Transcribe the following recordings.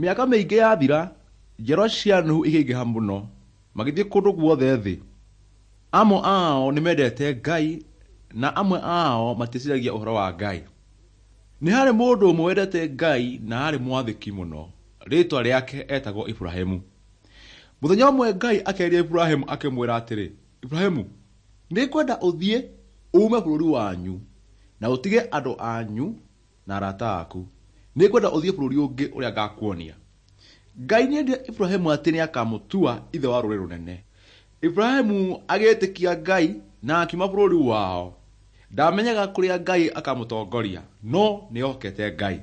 Mĩaka mĩingĩ yathira, njiarwa cia Nuhu ikĩingĩha mũno, magĩthiĩ kũndũ guothe thĩ. Amwe ao nĩmendete Ngai na amwe ao matieciragia ũhoro wa Ngai. Nĩ harĩ mũndũ ũmwe wendete Ngai na aarĩ mwathĩki mũno. Rĩĩtwa rĩake etagwo Iburahĩmu. Mũthenya ũmwe Ngai akĩarĩria Iburahĩmu akĩmwĩra atĩrĩ, Iburahĩmu, nĩngwenda ũthiĩ uume bũrũri wanyu na ũtige andũ anyu na arata aku. Nĩngwenda ũthiĩ bũrũri ũngĩ ũrĩa ngakuonia. Ngai nĩerire Iburahĩmu atĩ nĩakamũtua ithe wa rũrĩrĩ rũnene. Iburahĩmu agĩĩtĩkia Ngai na akiuma bũrũri wao. Ndamenyaga kũrĩa Ngai akamũtongoria, no nĩehokete Ngai.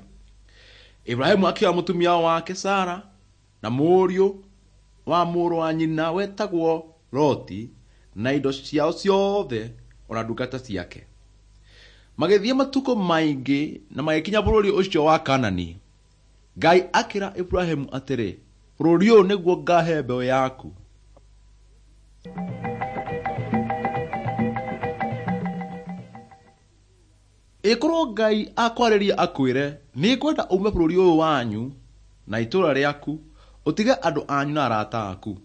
Iburahĩmu akĩoya mũtumia wake Sara na mũriũ wa mũrũ wa nyina wetagwo Loti na indo ciao ciothe ona ndungata ciake. Magĩthiĩ matukũ maingĩ na magĩkinya bũrũri ũcio wa Kaanani. Ngai akĩra Iburahĩmu atĩrĩ, bũrũri ũyũ nĩguo ngahe mbeũ yaku. Ĩkorwo Ngai akwarĩria akwĩre, nĩngwenda uume bũrũri ũyũ wanyu na itũũra rĩaku, ũtige andũ anyu na arata aku.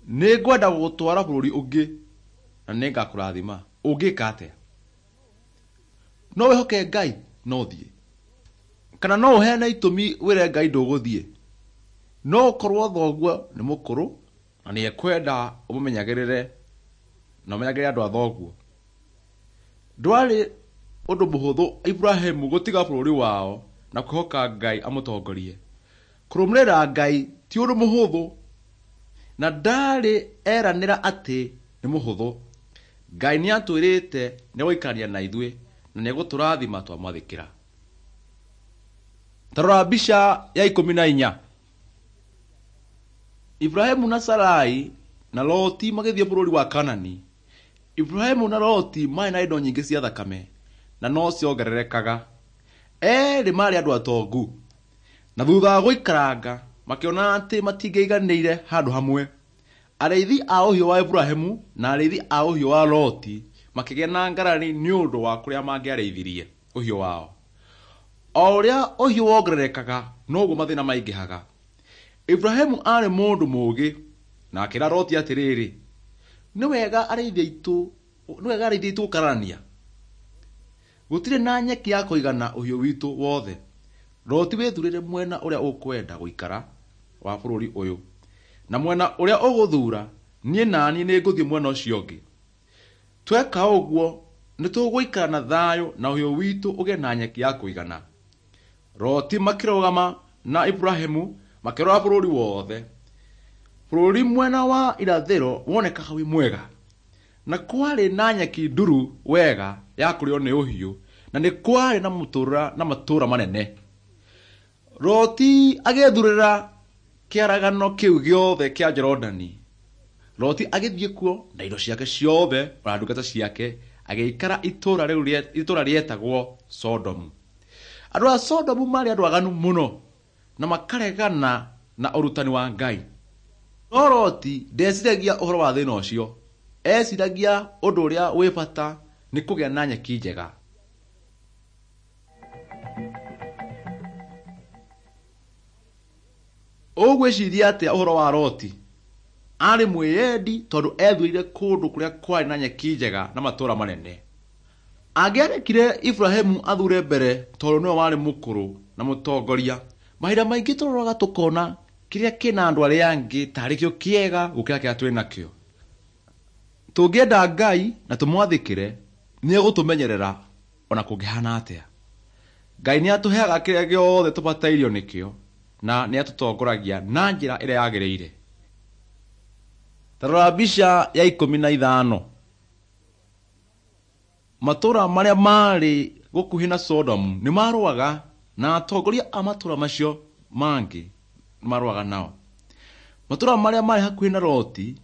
Nĩngwenda gũgũtwara bũrũri ũngĩ na nĩngakũrathima. Ũngĩka atĩa? No wĩhoke Ngai na ũthiĩ? Kana no ũheane itũmi wĩre Ngai ndũgũthiĩ? No ũkorwo thoguo nĩ mũkũrũ na nĩekwenda ũmũmenyagĩrĩre na ũmenyagĩrĩre andũ a thoguo. Ndwarĩ ũndũ mũhũthũ Iburahĩmu gũtiga bũrũri wao na kwĩhoka Ngai amũtongorie. Kũrũmĩrĩra Ngai ti ũndũ mũhũthũ na ndarĩ eranĩra atĩ nĩ mũhũthũ. Ngai nĩatwĩrĩte nĩegũikarania na ithuĩ na nĩegũtũrathima twamwathĩkĩra. Ta rora mbica ya 14. Iburahĩmu na Sarai na Loti magĩthiĩ bũrũri wa Kaanani. Iburahĩmu na Loti maarĩ na indo nyingĩ cia thakame na no ciongererekaga. Eerĩ maarĩ andũ atongu. Na thutha wa gũikaranga makĩona atĩ matingĩiganĩire handũ hamwe. Arĩithi a ũhiũ wa Iburahĩmu na arĩithi a ũhiũ wa Loti makĩgĩa na ngarari nĩ ũndũ wa kũrĩa mangĩarĩithirie ũhiũ wao. O ũrĩa ũhiũ wongererekaga noguo mathĩna maingĩhaga. Iburahĩmu aarĩ mũndũ mũũgĩ na akĩra Loti atĩrĩrĩ, nĩ wega arĩithi aitũ gũkararania. Gũtirĩ na nyeki ya kũigana ũhiũ witũ wothe. Loti wĩthurĩre mwena ũrĩa ũkwenda gũikara wa bũrũri ũyũ, na mwena ũrĩa ũgũthuura, niĩ naniĩ nĩngũthiĩ mwena ũcio ũngĩ. Tweka ũguo nĩtũgũikara na thayũ na ũhiũ witũ ũgĩe na nyeki ya kũigana. Loti makĩrũgama na Iburahĩmu makĩrora bũrũri wothe. Bũrũri mwena wa irathĩro wonekaga wĩ mwega, na kwarĩ na nyeki nduru wega ya kũrĩo nĩ ũhiũ, na nĩ kwarĩ na matũũra manene. Loti agĩĩthurĩra kĩaragano kĩu gĩothe kĩa Jorodani. Loti agĩthiĩ kuo na indo ciake ciothe ona ndungata ciake, agĩikara itũũra rĩetagwo Sodomu. Andũ a Sodomu maarĩ andũ aganu mũno na makaregana na ũrutani wa Ngai. No Loti ndeciragia ũhoro wa thĩna ũcio. Eciragia ũndũ ũrĩa wĩ bata nĩ kũgĩa na nyeki njega. Ũgwĩciria atĩa ũhoro wa Loti? Aarĩ mwĩyendi tondũ ethurĩire kũndũ kũrĩa kwarĩ na nyeki njega na matũũra manene. Angĩarekire Iburahĩmu athure mbere tondũ nĩwe warĩ mũkũrũ na mũtongoria. Mahinda maingĩ tũroraga tũkona kĩrĩa kĩna andũ arĩa angĩ tarĩ kĩo kĩega gũkĩra kĩrĩa twĩ nakĩo. Tũngĩenda Ngai na tũmwathĩkĩre, nĩegũtũmenyerera ona kũngĩhana atĩa. Ngai nĩatũheaga kĩrĩa gĩothe tũbatairio nĩkĩo na nĩatũtongoragia na njĩra ĩrĩa yagĩrĩire. Ta rora mbica ya 15. Matũũra marĩa maarĩ gũkuhĩ na Sodomu nĩmarũaga na atongoria a matũũra macio mangĩ nĩmarũaga nao. Matũũra marĩa maarĩ hakuhĩ na Loti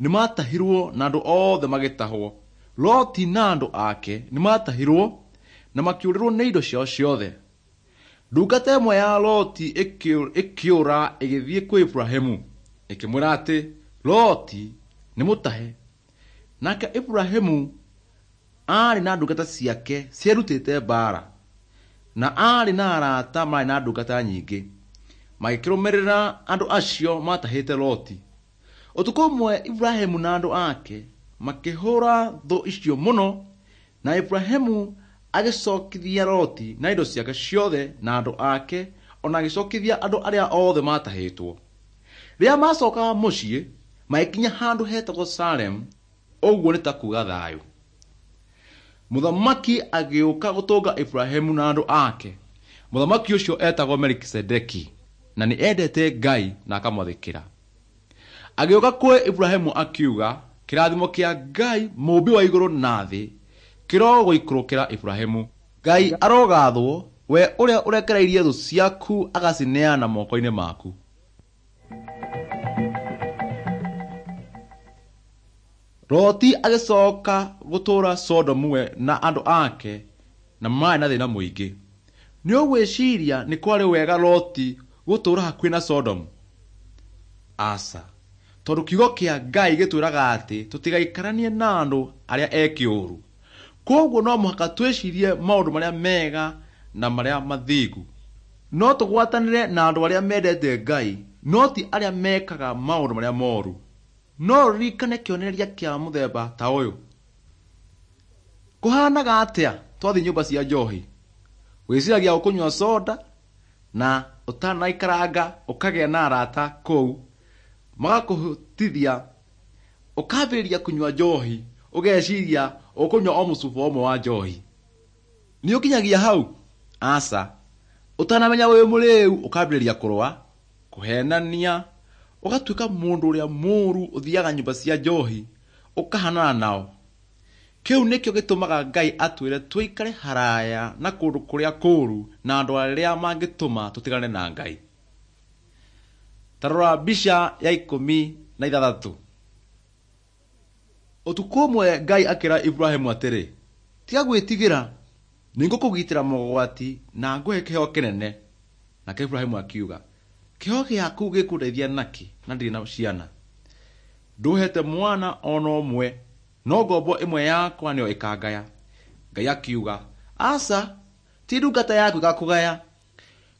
nĩmatahirwo na andũ othe magĩtahwo. Loti na andũ ake nĩmatahirwo na makĩũrĩrwo nĩ indo ciao ciothe. Ndungata ĩmwe ya Loti ĩkĩũra ĩgĩthiĩ kwĩ Iburahĩmu ĩkĩmwĩra atĩ Loti nĩ mũtahe. Nake Iburahĩmu aarĩ na ndungata ciake cierutĩte mbaara na aarĩ na arata maarĩ na ndungata nyingĩ. Magĩkĩrũmĩrĩra andũ acio maatahĩte Loti. Ũtukũ ũmwe Iburahĩmu na andũ ake makĩhũũra thũ icio mũno, na Iburahĩmu agĩcokithia Loti na indo ciake ciothe na andũ ake, o na agĩcokithia andũ arĩa othe maatahĩtwo. Rĩrĩa maacokaga mũciĩ, magĩkinya handũ hetagwo Salemu, ũguo nĩ ta kuuga thayũ. Mũthamaki agĩũka gũtũnga Iburahĩmu na andũ ake. Mũthamaki ũcio etagwo Melikisedeki, na nĩ endete Ngai na akamwathĩkĩra. Agĩũka kwĩ Iburahĩmu akiuga, kĩrathimo kĩa Ngai mũũmbi wa igũrũ na thĩ kĩrogũikũrũkĩra Iburahĩmu. Ngai arogathwo, we ũrĩa ũrekereirie thũ ciaku agacineana moko-inĩ maku. Loti agĩcoka gũtũũra Sodomu we na andũ ake na maarĩ na thĩna mũingĩ. Nĩ ũgwĩciria nĩ kwarĩ wega Loti gũtũũra hakuhĩ na Sodomu? Aca, tondũ kiugo kĩa Ngai gĩtwĩraga atĩ tũtigaikaranie na andũ arĩa eki ũũru. Kwoguo no mũhaka twĩcirie maũndũ marĩa mega na marĩa mathingu. No tũgwatanĩre na andũ arĩa mendete Ngai, no ti arĩa mekaga maũndũ marĩa moru. No ũririkane kĩonereria kĩa mũthemba ta ũyũ. Kũhanaga atĩa twathiĩ nyũmba cia njohi? Wĩciragia ũkũnyua soda na ũtanaikaranga ũkagĩa na arata kũu magakũhĩtithia ũkambĩrĩria kũnyua njohi ũgeciria ũkũnyua o mũcuba ũmwe wa njohi. Nĩ ũkinyagia hau? Aca. Ũtanamenya wĩ mũrĩu ũkambĩrĩria kũrũa, kũhenania, ũgatuĩka mũndũ ũrĩa mũũru ũthiaga nyũmba cia njohi ũkahanana nao. Kĩu nĩkĩo gĩtũmaga Ngai atwĩre tũikare haraya na kũndũ kũrĩa kũũru na andũ arĩa mangĩtũma tũtigane na Ngai. Ta rora mbica ya 16. Ũtukũ ũmwe Ngai akĩra Iburahĩmu atĩrĩ, tiga gwĩtigĩra, nĩngũkũgitĩra mogwati na ngũhe kĩheo kĩnene. Nake Iburahĩmu akiuga, kĩheo gĩaku gĩkũndeithia nakĩ na ndirĩ na ciana? Ndũhete mwana ona ũmwe, no ngombo ĩmwe yakwa nĩyo ĩkangaya. Ngai akiuga, aca, ti ndungata yaku ĩgakũgaya.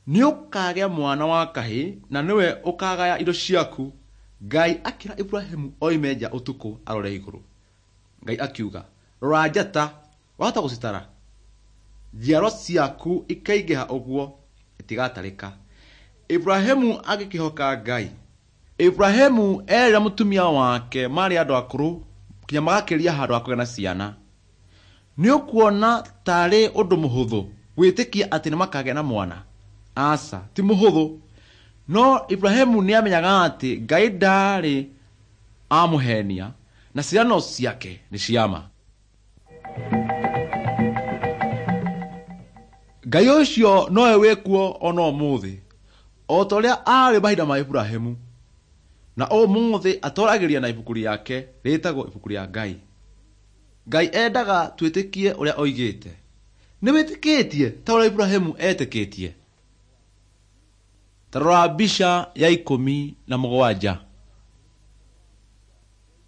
Nĩ ũkagĩa mwana wa kahĩĩ na nĩwe ũkagaya indo ciaku. Ngai akĩra Iburahĩmu oime nja ũtukũ arore igũrũ. Ngai akiuga, rora njata, wahota gũcitara? Njiarwa ciaku ikaingĩha ũguo itigatarĩka. Iburahĩmu agĩkĩhoka Ngai. Iburahĩmu erĩ na mũtumia wake maarĩ andũ akũrũ nginya magakĩria handũ ha kũgĩa na ciana. Nĩ ũkuona tarĩ ũndũ mũhũthũ gwĩtĩkia atĩ nĩ makagĩa na mwana? Aca, ti mũhũthũ. No Iburahĩmu nĩ amenyaga atĩ Ngai ndaarĩ amũhenia na ciĩranĩro ciake nĩ cia ma. Ngai ũcio nowe wĩkuo ona ũmũthĩ, o ta ũrĩa aarĩ mahinda ma Iburahĩmu. Na ũmũthĩ atwaragĩria na ibuku rĩake rĩtagwo ibuku rĩa Ngai. Ngai endaga twĩtĩkie ũrĩa oigĩte. Nĩ wĩtĩkĩtie ta ũrĩa Iburahĩmu etĩkĩtie? Ta rora mbica ya 17.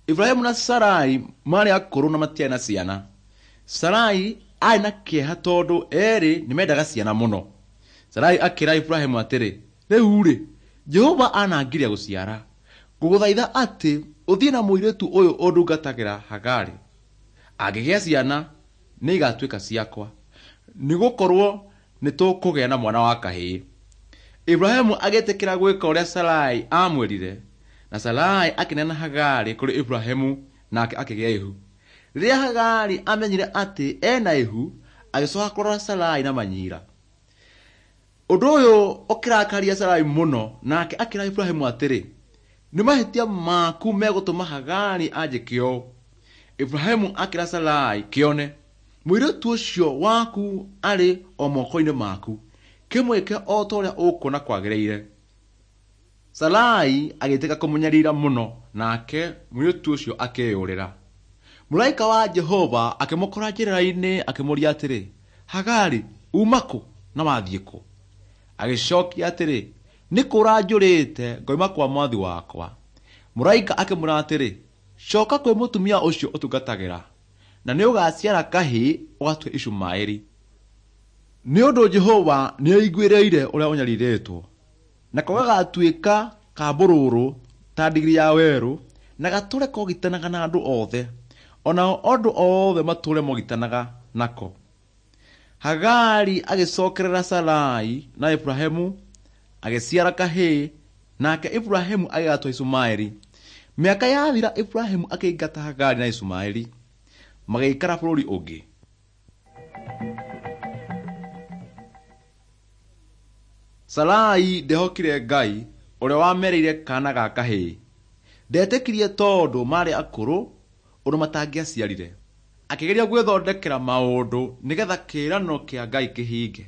Iburahĩmu na Sarai maarĩ akũrũ na matiarĩ na ciana. Sarai aarĩ na kĩeha tondũ erĩ nĩ mendaga ciana mũno. Sarai akĩra Iburahĩmu atĩrĩ, rĩu-rĩ, Jehova anangiria gũciara. Ngũgũthaitha atĩ ũthiĩ na mũirĩtu ũyũ ũndungatagĩra Hagari. Angĩgĩa ciana, nĩ igatuĩka ciakwa, nĩgũkorwo nĩ tũkũgĩa na mwana wa kahĩĩ. Iburahĩmu agĩtĩkĩra gwĩka ũrĩa Sarai aamwĩrire, na Sarai akĩneana Hagari kũrĩ Iburahĩmu nake akĩgĩa ihu. Rĩrĩa Hagari amenyire atĩ ena ihu, agĩcoka kũrora Sarai na manyira. Ũndũ ũyũ ũkĩrakaria Sarai mũno, nake akĩra Iburahĩmu atĩrĩ, nĩ mahĩtia maku megũtũma Hagari anjĩke ũũ. Iburahĩmu akĩra Sarai, kĩone, mũirĩtu ũcio waku arĩ o moko-inĩ maku, kĩmwĩke o ta ũrĩa ũkuona kwagĩrĩire. Sarai agĩtĩka kũmũnyarira mũno, nake mũirĩtu ũcio akĩĩyũrĩra. Mũraika wa Jehova akĩmũkora njĩra-inĩ akĩmũũria atĩrĩ, Hagari, uma kũ na wathiĩ kũ? Agĩcokia atĩrĩ, nĩ kũũra njũrĩte ngoima kwa mwathi wakwa. Mũraika akĩmwĩra atĩrĩ, coka kwĩ mũtumia ũcio ũtungatagĩra, na nĩ ũgaaciara kahĩĩ ũgatue Ishumaeli. Nĩ ũndũ Jehova nĩaiguĩrĩire ũrĩa ũnyarirĩtwo. Nako gagatuĩka ka mbũrũrũ ta ndigiri ya werũ, na gatũre kogitanaga na andũ othe, onao andũ othe matũre mogitanaga nako. Hagari agĩcokerera Sarai na Iburahĩmu agĩciara kahĩĩ, nake Iburahĩmu agĩgatua Ishumaeli. Mĩaka yathira Iburahĩmu akĩingata Hagari na Ishumaeli, magĩikara bũrũri ũngĩ. Sarai ndehokire Ngai ũrĩa wamereire kaana ga kahĩĩ. Ndetĩkirie tondũ maarĩ akũrũ ũndũ matangĩaciarire. Akĩgeria gwĩthondekera maũndũ nĩgetha kĩĩranĩro kĩa Ngai kĩhinge.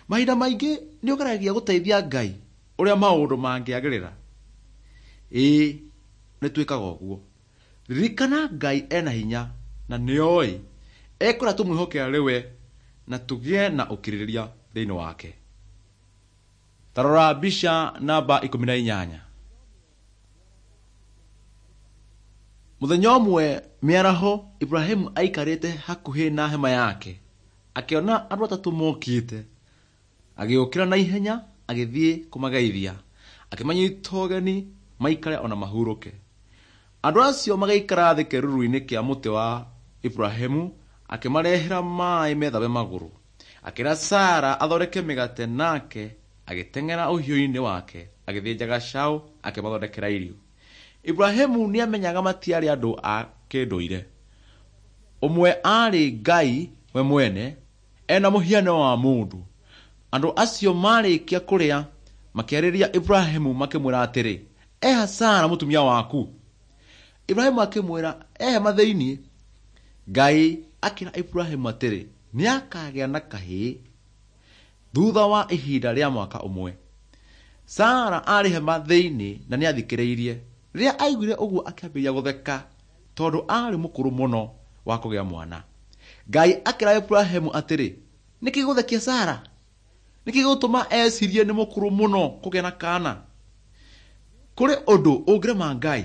Mahinda maingĩ nĩ ũgeragia gũteithia Ngai ũrĩa maũndũ mangĩagĩrĩra. Ĩĩ, nĩ twĩkaga ũguo. Ririkana Ngai ena hinya na nĩoĩ ekwenda tũmwĩhoke arĩ we na tũgĩe na ũkirĩrĩria thĩinĩ wake. Ta rora mbica namba 18. Mũthenya ũmwe mĩaraho Iburahĩmu aikarĩte hakuhĩ na hema yake, akĩona andũ atatũ mokĩte. Agĩũkĩra na ihenya agĩthiĩ kũmageithia, akĩmanyita ũgeni maikare ona mahurũke. Andũ acio magĩikara thĩ kĩĩruru-inĩ kĩa mũtĩ wa Iburahĩmu, akĩmarehera maaĩ methambe magũrũ. Akĩra Sara athondeke mĩgate nake agĩteng'era ũhiũ-inĩ wake agĩthĩnja gacaũ akĩmathondekera irio. Iburahĩmu nĩamenyaga matiarĩ andũ a kĩndũire. Ũmwe aarĩ Ngai we mwene ena mũhiano wa mũndũ. Andũ acio marĩkia kũrĩa makĩarĩria Iburahĩmu makĩmwĩra atĩrĩ, eha Sara mũtumia waku? Iburahĩmu akĩmwĩra e hema thĩinĩ. Ngai akĩra Iburahĩmu atĩrĩ, nĩakagĩa na kahĩĩ thutha wa ihinda rĩa mwaka ũmwe. Sara aarĩ hema thĩinĩ na nĩathikĩrĩirie. Rĩrĩa aiguire ũguo akĩambĩrĩria gũtheka tondũ aarĩ mũkũrũ mũno wa kũgĩa mwana. Ngai akĩra Iburahĩmu atĩrĩ, nĩkĩ gĩgũthekia Sara? Nĩkĩ gĩgũtũma ecirie nĩ mũkũrũ mũno kũgĩa na kaana? Kũrĩ ũndũ ũngĩrema Ngai?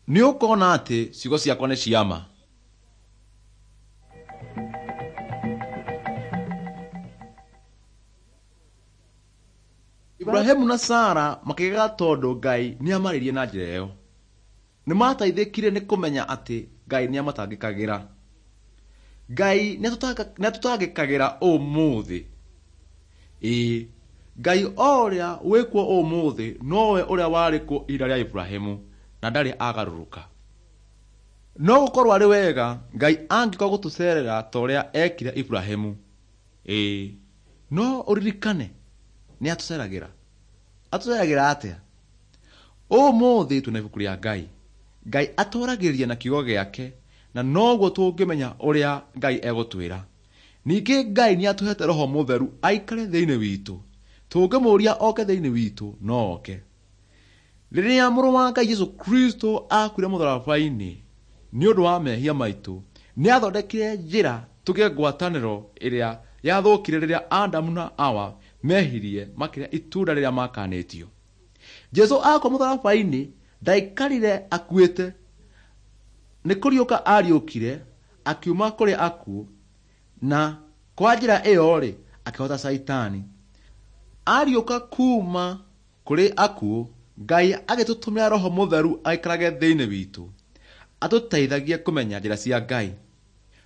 Nĩ ũkona atĩ ciugo ciakwa nĩ cia ma. Iburahĩmu na Sara makĩgega tondũ Ngai nĩamarĩirie na njĩra ĩyo. Nĩmateithĩkire nĩ kũmenya atĩ Ngai nĩamatangĩkagĩra. Ngai nĩatũtangĩkagĩra ũmũthĩ. Ĩĩ, Ngai o ũrĩa wĩkuo ũmũthĩ nowe ũrĩa warĩ kuo ihinda rĩa Iburahĩmu na ndarĩ agarũrũka. No gũkorwo arĩ wega Ngai angĩũka gũtũcerera ta ũrĩa ekire Iburahĩmu. Ĩĩ, no ũririkane nĩatũceragĩra. Atũceragĩra atĩa? Ũmũthĩ twĩna ibuku rĩa Ngai. Ngai atwaragĩria na kiugo gĩake na noguo tũngĩmenya ũrĩa Ngai egũtwĩra. Ningĩ Ngai nĩatũhete Roho Mũtheru aikare thĩinĩ witũ. Tũngĩmũũria oke thĩinĩ witũ no oke. Rĩrĩa mũrũ wa Ngai Jesũ Kristo akuire mũtharaba-inĩ nĩ ũndũ wa mehia maitũ, nĩathondekire njĩra tũgĩe ngwatanĩro ĩrĩa yathũkire rĩrĩa Adamu na Hawa mehirie makĩrĩa itunda rĩrĩa makanĩtio. Jesũ akua mũtharaba-inĩ ndaikarire akuĩte, nĩ kũriũka ariũkire akiuma kũrĩ akuũ na kwa njĩra ĩyo-rĩ akĩhota Caitani. Ariũka kuma kũrĩ akuũ, Ngai agĩtũtũmĩra Roho Mũtheru aikarage thĩinĩ witũ, atũteithagie kũmenya njĩra cia Ngai.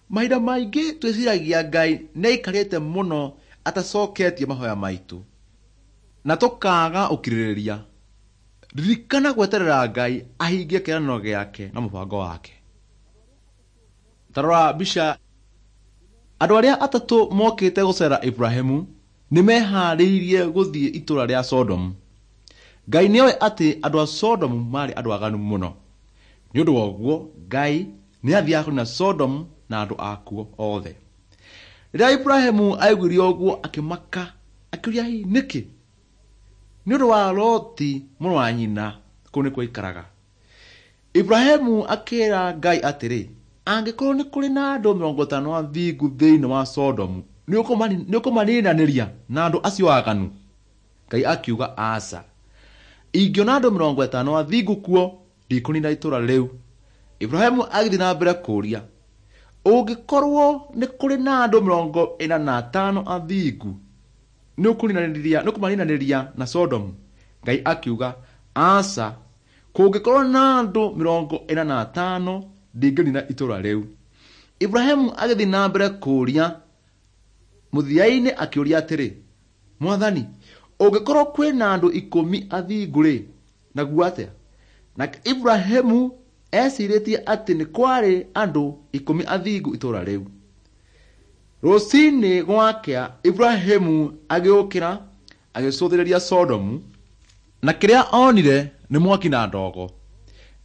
Mahinda maingĩ twĩciragia Ngai nĩaikarĩte mũno atacoketie mahoya maitũ na tũkaaga ũkirĩrĩria. Ririkana gweterera Ngai ahingie kĩĩranĩro gĩake na mũbango wake. Ta rora mbica. Andũ arĩa atatũ mokĩte gũcera Iburahĩmu nĩmeharĩirie gũthiĩ itũũra rĩa Sodomu. Ngai nĩoĩ atĩ andũ a Sodomu maarĩ andũ aganu mũno. Nĩ ũndũ wa ũguo Ngai nĩathiaga kũniina Sodomu na andũ akuo othe. Rĩrĩa Iburahĩmu aiguire ũguo akĩmaka, akĩũria hihi nĩkĩ? Nĩ ũndũ wa Loti mũrũ wa nyina kũu nĩkuo aikaraga. Iburahĩmu akĩra Ngai atĩrĩ, angĩkorwo nĩ kũrĩ na andũ 50 athingu thĩinĩ wa Sodomu, nĩũkũmaninanĩria na andũ acio aganu? Ngai akiuga aca. Ingĩona andũ 50 athingu kuo, ndikũnina itũũra rĩu. Iburahĩmu agĩthiĩ na mbere kũũria, ũngĩkorwo nĩ kũrĩ na andũ 45 athingu? Nĩ ũkũmaninanĩria na Sodomu? Ngai akiuga, aca, kũngĩkorwo na andũ 45 ndingĩnina itũũra rĩu. Ibrahimu agĩthiĩ na mbere kũũria. Mũthia-inĩ akĩũria atĩrĩ, Mwathani, ũngĩkorwo kwĩna andũ 10 athingu-rĩ, naguo atĩa? Nake Ibrahimu ecirĩtie atĩ nĩ kwarĩ andũ 10 athingu itũũra rĩu. Rũcinĩ gwakĩa Ibrahimu agĩũkĩra agĩcũthĩrĩria Sodomu, na kĩrĩa onire nĩ mwaki na ndogo.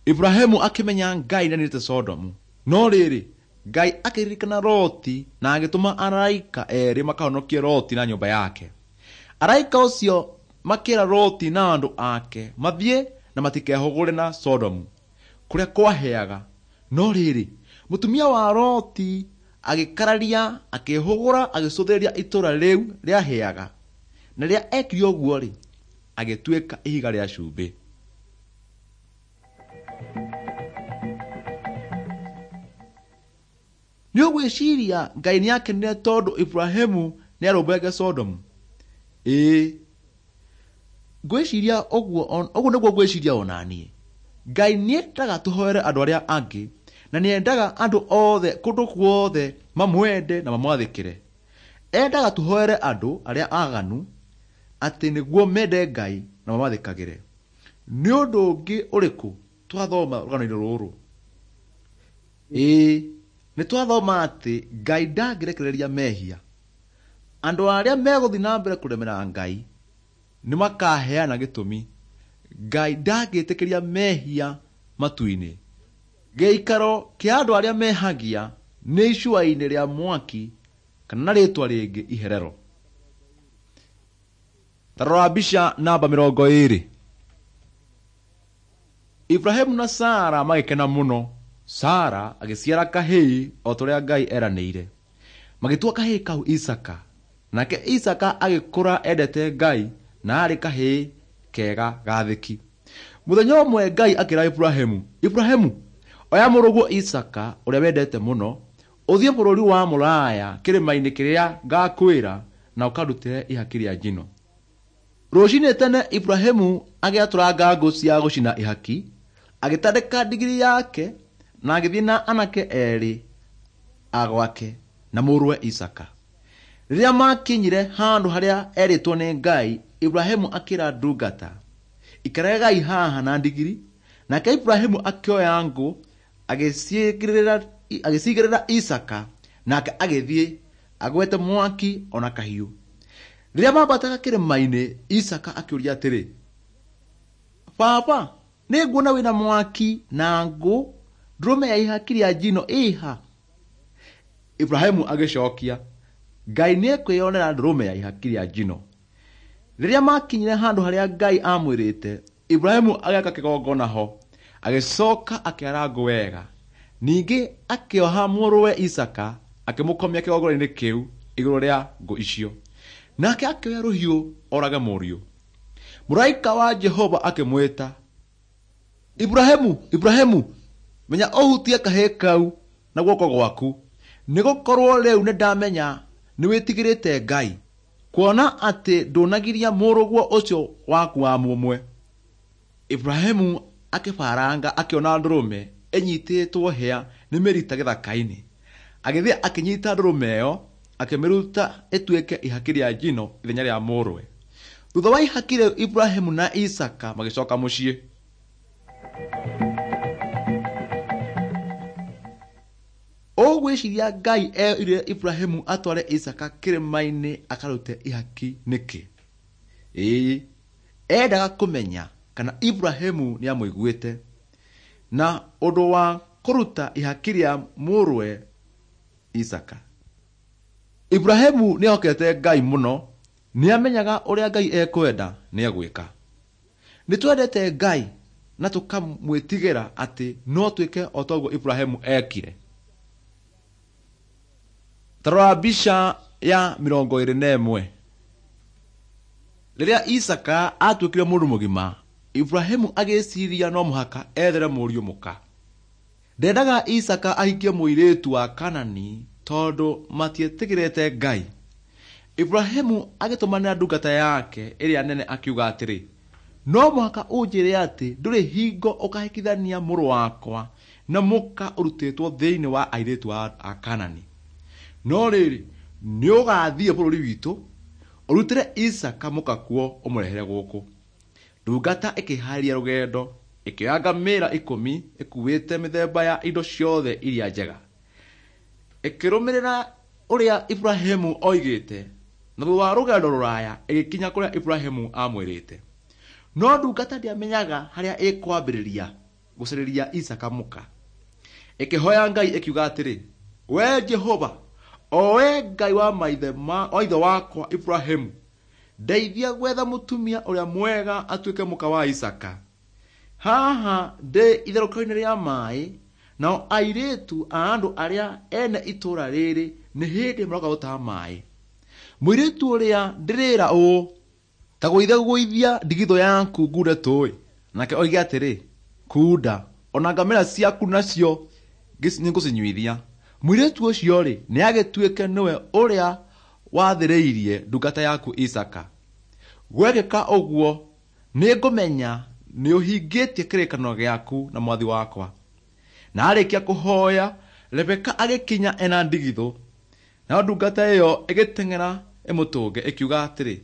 Ibrahimu akĩmenya Ngai nĩaninĩte Sodomu. No rĩrĩ, Ngai akĩririkana Loti na agĩtũma araika erĩ makahonokie Loti na nyũmba yake. Araika ũcio makĩra Loti na andũ ake mathiĩ na matikehũgũre na Sodomu kũrĩa kwahĩaga. No rĩrĩ, mũtumia wa Loti agĩkararia akĩĩhũgũra agĩcũthĩrĩria itũũra rĩu rĩahĩaga, na rĩrĩa ekire ũguo-rĩ, agĩtuĩka ihiga rĩa cumbĩ. Nĩ ũgwĩciria Ngai nĩ akenire tondũ Ibrahimu nĩ arũmbũyagia Sodomu? Ĩĩ, ngwĩciria ũguo ũguo nĩguo ngwĩciria ona niĩ. Ngai nĩendaga tũhoere andũ arĩa angĩ, na nĩendaga andũ othe kũndũ guothe mamwende na mamwathĩkĩre. Endaga tũhoere andũ arĩa aganu atĩ nĩguo mende Ngai na mamathĩkagĩre. Nĩ ũndũ ũngĩ ũrĩkũ twathoma rũgano-inĩ rũrũ? Ĩĩ, nĩ twathoma atĩ Ngai ndangĩrekereria mehia. Andũ arĩa megũthiĩ na mbere kũremera Ngai nĩ makaheana gĩtũmi. Ngai ndangĩtĩkĩria mehia matu-inĩ. Gĩikaro kĩa andũ arĩa mehagia nĩ icua-inĩ rĩa mwaki kana na rĩtwa rĩngĩ iherero. Ta rora mbica namba 20. Ibrahimu na Sara magĩkena mũno. Sara agĩciara kahĩĩ o ta ũrĩa Ngai eranĩire. Magĩtua kahĩĩ kau Isaka. Nake Isaka agĩkũra endete Ngai na aarĩ kahĩĩ kega gathĩki. Mũthenya ũmwe Ngai akĩra Ibrahimu, Ibrahimu, oya mũrũguo Isaka ũrĩa wendete mũno, ũthiĩ bũrũri wa Mũraya kĩrĩma-inĩ kĩrĩa ngakwĩra na ũkarutĩre ihaki rĩa njino. Rũcinĩ tene Ibrahimu agĩatũranga ngũ cia gũcina ihaki, agĩtandĩka ndigiri yake na agĩthiĩ na anake erĩ a gwake na mũrũwe Isaka. Rĩrĩa maakinyire handũ harĩa erĩtwo nĩ Ngai, Ibrahimu akĩra ndungata, ikaragai haha na ndigiri. Nake Ibrahimu akĩoya ngũ agĩcigĩrĩra Isaka, nake agĩthiĩ agwete mwaki ona kahiũ. Rĩrĩa maambataga kĩrĩma-inĩ, Isaka akĩũria atĩrĩ, Baba, nĩ nguona wĩna mwaki na ngũ, ndũrũme ya ihaki rĩa njino ĩha? Ibrahimu agĩcokia, Ngai nĩekwĩyonera ndũrũme ya ihaki rĩa njino. Rĩrĩa maakinyire handũ harĩa Ngai aamwĩrĩte, Ibrahimu agĩaka kĩgongona ho, agĩcoka akĩara ngũ wega. Ningĩ akĩoha mũrũwe Isaka akĩmũkomia kĩgongona-inĩ kĩu igũrũ rĩa ngũ icio. Nake akĩoya rũhiũ orage mũriũ. Mũraika wa Jehova akĩmwĩta, Ibrahimu, Ibrahimu, menya ũhutie kahĩĩ kau na guoko gwaku, nĩgũkorwo rĩu nĩndamenya nĩwĩtigĩrĩte Ngai, kuona atĩ ndũnagiria mũrũguo ũcio waku wa mũmwe. Ibrahimu akĩbaranga akĩona ndũrũme ĩnyitĩtwo hĩa nĩ mĩrita gĩthaka-inĩ. Agĩthiĩ akĩnyita ndũrũme ĩyo akĩmĩruta ĩtuĩke ihaki rĩa njino ithenya rĩa mũrũwe. Thutha wa ihaki rĩu Ibrahimu na Isaka magĩcoka mũciĩ. Ũgwĩciria Ngai erire Ibrahimu atware Isaka kĩrĩma-inĩ akarute ihaki nĩkĩ? Ĩĩ, endaga kũmenya kana Ibrahimu nĩamũiguĩte na ũndũ wa kũruta ihaki rĩa mũrũwe Isaka. Ibrahimu nĩehokete Ngai mũno, nĩamenyaga ũrĩa Ngai ekwenda nĩegwĩka. Nĩtwendete Ngai na tũkamwĩtigĩra atĩ no twĩke o toguo Ibrahimu ekire. Ta rora mbica ya 21. Rĩrĩa Isaka atuĩkire mũndũ mũgima, Ibrahimu agĩciria no mũhaka ethere mũriũ mũka. Ndendaga Isaka ahikie mũirĩtu wa Kanani tondũ matietĩkĩrĩte Ngai. Iburahĩmu agĩtũmanĩra ndungata yake ĩrĩa nene akiuga atĩrĩ, no mũhaka ũnjĩre atĩ ndũrĩ hingo ũkahikithania mũrũ wakwa na mũka ũrutĩtwo thĩinĩ wa airĩtu a Kanani. No rĩrĩ, nĩũgathiĩ bũrũri witũ, ũrutĩre Isaaka mũka kuo ũmũrehere gũkũ. Ndungata ĩkĩhaarĩria rũgendo, ĩkĩoya ngamĩĩra 10 ĩkuuĩte mĩthemba ya indo ciothe iria njega. Ĩkĩrũmĩrĩra ũrĩa Iburahĩmu oigĩte, na thutha wa rũgendo rũraya ĩgĩkinya kũrĩa Iburahĩmu aamwĩrĩte. No ndungata ndĩamenyaga harĩa ĩkwambĩrĩria gũcarĩria Isaaka mũka. Ĩkĩhoya Ngai ĩkiuga atĩrĩ, "Wee Jehova, o wee Ngai wa maithe wa ithe wakwa Iburahĩmu, ndeithia gwetha mũtumia ũrĩa mwega atuĩke mũka wa Isaaka. Haha ndĩ itherũkĩro-inĩ rĩa maĩ, nao airĩtu a andũ arĩa ene itũũra rĩrĩ nĩ hĩndĩ maroka gũtaha maĩ. Mũirĩtu ũrĩa ndĩrĩra ũũ, ta gũithia ndigithũ yaku ngunde tũũĩ." Nake oige atĩrĩ, "Kunda, ona ngamĩĩra ciaku nacio nĩngũcinyuithia." Mũirĩtu ũcio-rĩ, nĩagĩtuĩke nĩwe ũrĩa wathĩrĩirie ndungata yaku Isaaka. Gwekĩka ũguo, nĩngũmenya nĩũhingĩtie kĩrĩkanĩro gĩaku na mwathi wakwa. Na arĩkia kũhoya, Rebeka agĩkinya ena ndigithũ. Nayo ndungata ĩyo ĩgĩteng'era ĩmũtũnge ĩkiuga atĩrĩ,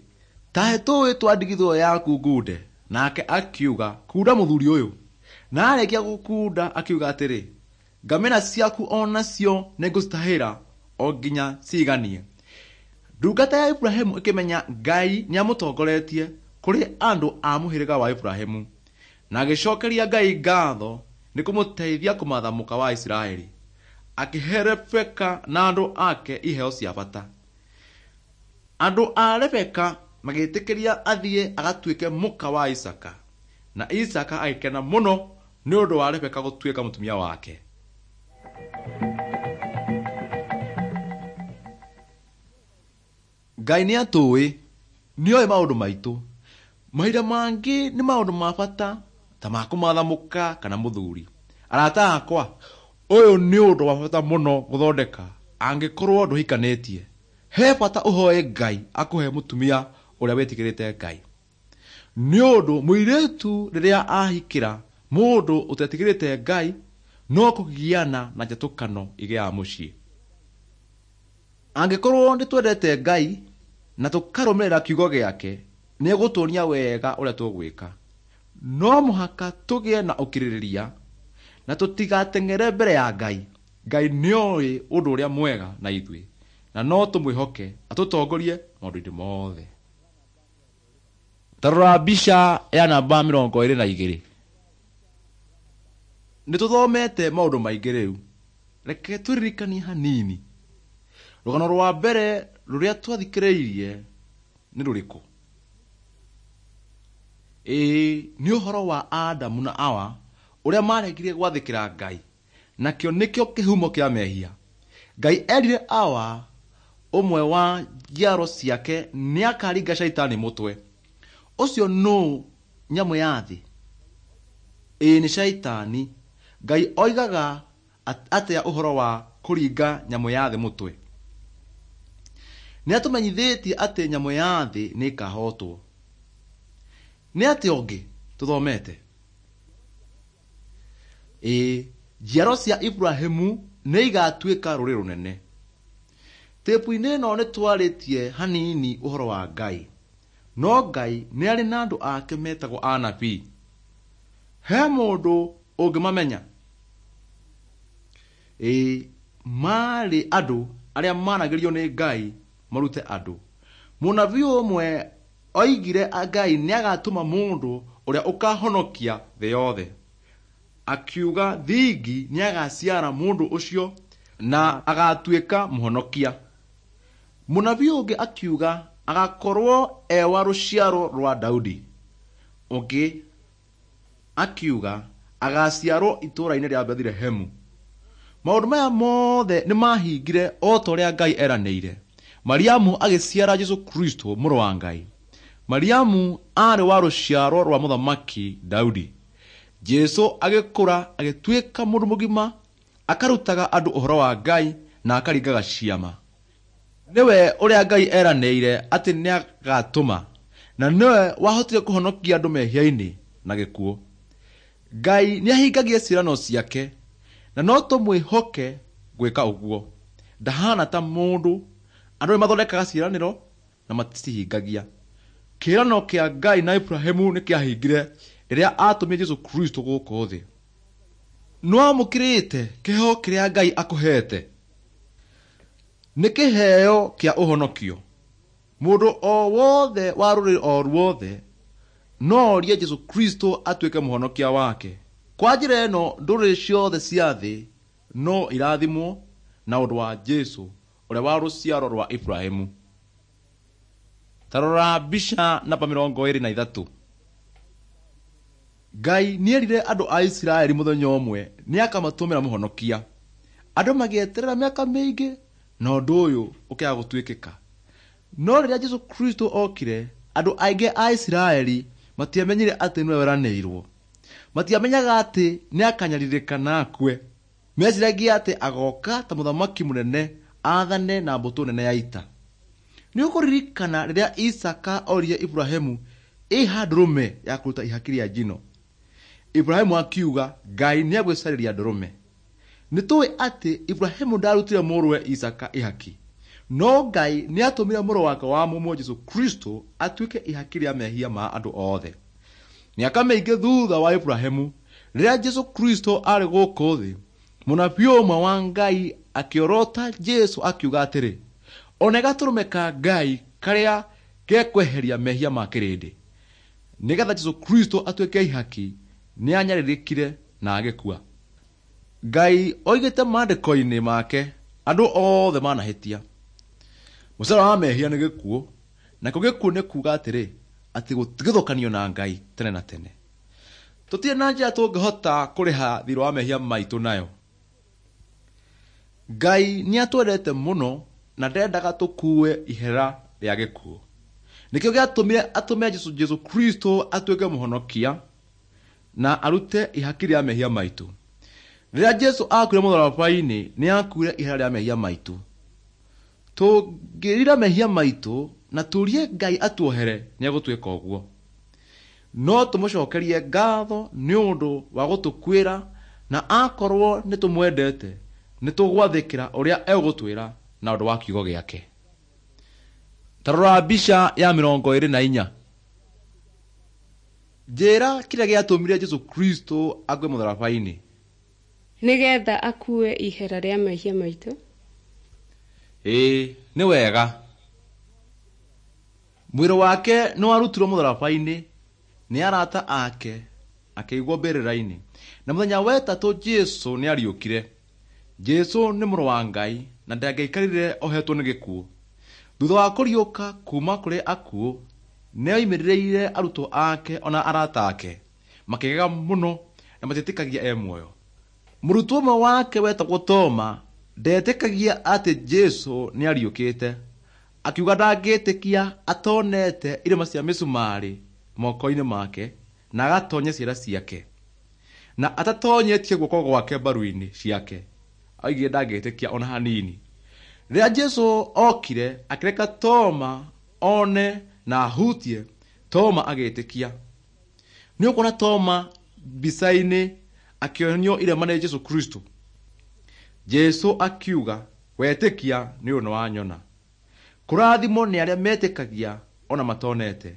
"Ta he tũũĩ twa ndigithũ ĩyo yaku ngunde." Nake akiuga, "Kunda mũthuri ũyũ." Na arĩkia gũkunda akiuga atĩrĩ, "Ngamĩĩra ciaku o nacio nĩngũcitahĩra o nginya ciiganie." Ndungata ya Iburahĩmu ĩkĩmenya Ngai nĩamũtongoretie kũrĩ andũ a mũhĩrĩga wa Iburahĩmu, na agĩcokeria Ngai ngatho nĩ kũmũteithia kũmatha mũka wa Isiraeli. Akĩhe Rebeka na andũ ake iheo cia bata. Andũ a Rebeka magĩtĩkĩria athiĩ agatuĩke mũka wa Isaaka, na Isaaka agĩkena mũno nĩ ũndũ wa Rebeka gũtuĩka mũtumia wake. Ngai nĩatũĩ, nĩoĩ maũndũ maitũ. Mahinda mangĩ nĩ maũndũ ma bata ta ma kũmatha mũka kana mũthuri. Arata akwa, ũyũ nĩ ũndũ wa bata mũno gũthondeka angĩkorwo ndũhikanĩtie. He bata ũhoe Ngai akũhe mũtumia ũrĩa wĩtigĩrĩte Ngai. Nĩ ũndũ mũirĩtu rĩrĩa ahikĩra mũndũ ũtetigĩrĩte Ngai no kũgiana na njatũkano igĩaga mũciĩ. Angĩkorwo nĩtwendete Ngai na tũkarũmĩrĩra kiugo gĩake, nĩegũtuonia wega ũrĩa tũgwĩka. No mũhaka tũgĩe na ũkirĩrĩria na tũtigateng'ere mbere ya Ngai. Ngai nĩoĩ ũndũ ũrĩa mwega na ithuĩ, na no tũmwĩhoke atũtongorie maũndũ-inĩ mothe. Ta rora mbica ya namba 22. Nĩtũthomete maũndũ maingĩ rĩu. Reke twĩririkanie hanini. Rũgano rwa mbere rũrĩa twathikĩrĩirie nĩ rũrĩkũ? Ĩĩ, nĩ ũhoro wa Adamu na Awa ũrĩa maregire gwathĩkĩra Ngai, nakĩo nĩkĩo kĩhumo kĩa mehia. Ngai erire Awa ũmwe wa njiaro ciake nĩakaringa Shaitani mũtwe. Ũcio nũũ nyamũ ya thĩ? Ĩĩ, nĩ Shaitani. Ngai oigaga atĩa ũhoro wa kũringa nyamũ ya thĩ mũtwe? Nĩatũmenyithĩtie atĩ nyamũ ya thĩ nĩĩkahotwo. Nĩ atĩa ũngĩ tũthomete? Ĩĩ, njiaro cia Iburahĩmu nĩigatuĩka rũrĩrĩ rũnene. Tĩpu-inĩ ĩno nĩtwarĩtie hanini ũhoro wa Ngai. No Ngai nĩarĩ na andũ ake metagwo anabii. He mũndũ ũngĩmamenya? Ĩĩ, maarĩ andũ arĩa maaragĩrio nĩ Ngai marute andũ. Mũnabii ũmwe oigire Ngai nĩagatũma mũndũ ũrĩa ũkahonokia thĩ yothe. Akiuga thingi nĩagaciara mũndũ ũcio na agatuĩka mũhonokia. Mũnabii ũngĩ akiuga agakorwo e wa rũciaro rwa Daudi. Ũngĩ akiuga agaciarwo itũũra-inĩ rĩa Bethilehemu. Maũndũ maya mothe nĩmahingire o ta ũrĩa Ngai eranĩire. Mariamu agĩciara Jesũ Kristo mũrũ wa Ngai. Mariamu aarĩ wa rũciaro rwa mũthamaki Daudi. Jesũ agĩkũra agĩtuĩka mũndũ mũgima, akarutaga andũ ũhoro wa Ngai na akaringaga ciama. Nĩwe ũrĩa Ngai eranĩire atĩ nĩagatũma, na nĩwe wahotire kũhonokia andũ mehia-inĩ na gĩkuũ. Ngai nĩahingagia ciĩranĩro ciake, na no tũmwĩhoke gwĩka ũguo. Ndahana ta mũndũ, andũ nĩmathondekaga ciĩranĩro na maticihingagia. Kĩĩranĩro kĩa Ngai na Iburahĩmu nĩkĩahingire rĩrĩa atũmire Jesũ Kristo gũkũ thĩ. Nĩwamũkĩrĩte kĩheo kĩrĩa Ngai akũhete? Nĩ kĩheo kĩa ũhonokio. Mũndũ o wothe wa rũrĩrĩ o ruothe no orie Jesũ Kristo atuĩke mũhonokia wake. Kwa njĩra ĩno ndũrĩrĩ ciothe cia thĩ no irathimwo na ũndũ wa Jesũ ũrĩa wa rũciaro rwa Iburahĩmu. Ta rora mbica namba 23. Ngai nĩerire andũ a Isiraeli mũthenya ũmwe nĩakamatũmĩra mũhonokia. Andũ magĩeterera mĩaka mĩingĩ na ũndũ ũyũ ũkĩaga gũtuĩkĩka. No rĩrĩa Jesũ Kristo okire, andũ aingĩ a Isiraeli matiamenyire atĩ nĩwe weranĩirwo. Matiamenyaga atĩ nĩakanyarirĩka na akue. Meciragia atĩ agoka ta mũthamaki mũnene athane na mbũtũ nene ya ita. Nĩũkũririkana rĩrĩa Isaka oririe Iburahĩmu ĩha ndũrũme ya kũruta ihaki rĩa njino. Iburahĩmu akiuga Ngai nĩegwĩcarĩria ndũrũme. Nĩtũĩ atĩ Iburahĩmu ndarutire mũrũwe Isaka ihaki, no Ngai nĩatũmire mũrũ wake wa mũmwe Jesũ Kristo atuĩke ihaki rĩa mehia ma andũ othe. Mĩaka mĩingĩ thutha wa Iburahĩmu, rĩrĩa Jesũ Kristo arĩ gũkũ thĩ, mũnabii ũmwe wa Ngai akĩorota Jesũ akiuga atĩrĩ, one gatũrũme ka Ngai karĩa gekweheria mehia ma kĩrĩndĩ. Nĩgetha Jesũ Kristo atuĩke ihaki, nĩanyarirĩkire na agĩkua. Ngai oigĩte maandĩko-inĩ make andũ othe manahĩtia. Mũcara wa mehia nĩ gĩkuũ, nakĩo gĩkuũ nĩ kuuga atĩrĩ, atĩ gũtigithũkanio na Ngai tene na tene. Tũtirĩ na njĩra tũngĩhota kũrĩha thiirĩ wa mehia maitũ nayo. Ngai nĩatwendete mũno na ndendaga tũkue ihera rĩa gĩkuũ. Nĩkĩo gĩatũmire atũme Jesũ Kristo atuĩke mũhonokia na arute ihaki rĩa mehia maitũ. Rĩrĩa Jesũ akuire mũtharaba-inĩ nĩakuire ihera rĩa mehia maitũ. Tũngĩrira mehia maitũ na tũrie Ngai atuohere nĩegũtwĩka ũguo. No tũmũcokerie ngatho nĩ ũndũ wa gũtũkuĩra na akorwo nĩtũmwendete nĩtũgwathĩkĩra ũrĩa egũtwĩra na ũndũ wa kiugo gĩake. Ta rora mbica ya 24. Njĩra kĩrĩa gĩatũmire Jesũ Kristo akue mũtharaba-inĩ. Nĩgetha akue ihera rĩa mehia maitũ. Ĩĩ, nĩ wega. Mwĩrĩ wake nĩwarutirwo mũtharaba-inĩ nĩ arata ake akĩigwo mbĩrĩra-inĩ. Na mũthenya wa ĩtatũ Jesũ nĩariũkire. Jesũ nĩ mũrũ wa Ngai na ndangĩaikarire ohetwo nĩ gĩkuũ. Thutha wa kũriũka kuma kũrĩ akuũ, nĩoimĩrĩire arutwo ake ona arata ake, makĩgega mũno na matietĩkagia e muoyo. Mũrutwo ũmwe wake wetagwo Toma ndetĩkagia atĩ Jesũ nĩariũkĩte. Akiuga ndangĩtĩkia atonete irema cia mĩcumarĩ moko-inĩ make na agatonya ciara ciake, na atatonyetie guoko gwake mbaru-inĩ ciake. Oigire ndangĩtĩkia ona hanini. Rĩrĩa Jesũ okire akĩreka Toma one na ahutie, Toma agĩtĩkia. Nĩũkuona Toma mbica-inĩ akĩonio irema nĩ Jesũ Kristo. Jesũ akiuga wetĩkia nĩ ũndũ nĩwanyona. Kũrathimwo nĩ arĩa metĩkagia ona matonete.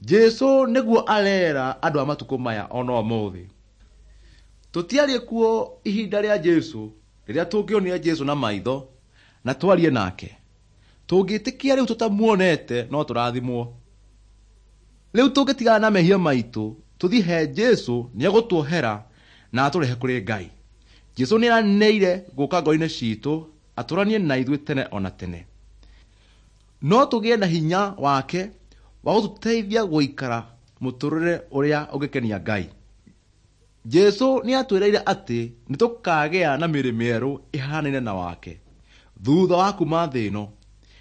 Jesũ nĩguo arera andũ a matukũ maya ona ũmũthĩ. Tũtiarĩ kuo ihinda rĩa Jesũ rĩrĩa tũngĩonire Jesũ na maitho na twarie nake. Tũngĩtĩkia rĩu tũtamuonete no tũrathimwo. Rĩu tũngĩtigana na mehia maitũ tũthiĩ he Jesũ nĩegũtuohera na atũrehe kũrĩ Ngai. Jesũ nĩeranĩire gũka ngoro-inĩ citũ atũranie na ithuĩ tene ona tene. No tũgĩe na hinya wake wa gũtũteithia gũikara mũtũrĩre ũrĩa ũngĩkenia Ngai. Jesũ nĩatwĩrĩire atĩ nĩtũkagĩa na mĩĩrĩ mĩerũ ĩhanaine na wake thutha wa kuma thĩ ĩno,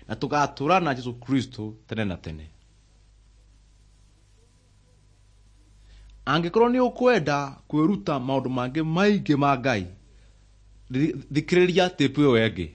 na tũgatũũra na Jesũ Kristo tene na tene. Angĩkorwo nĩ ũkwenda kwĩruta maũndũ mangĩ maingĩ ma Ngai, thikĩrĩria tape ĩyo ĩngĩ.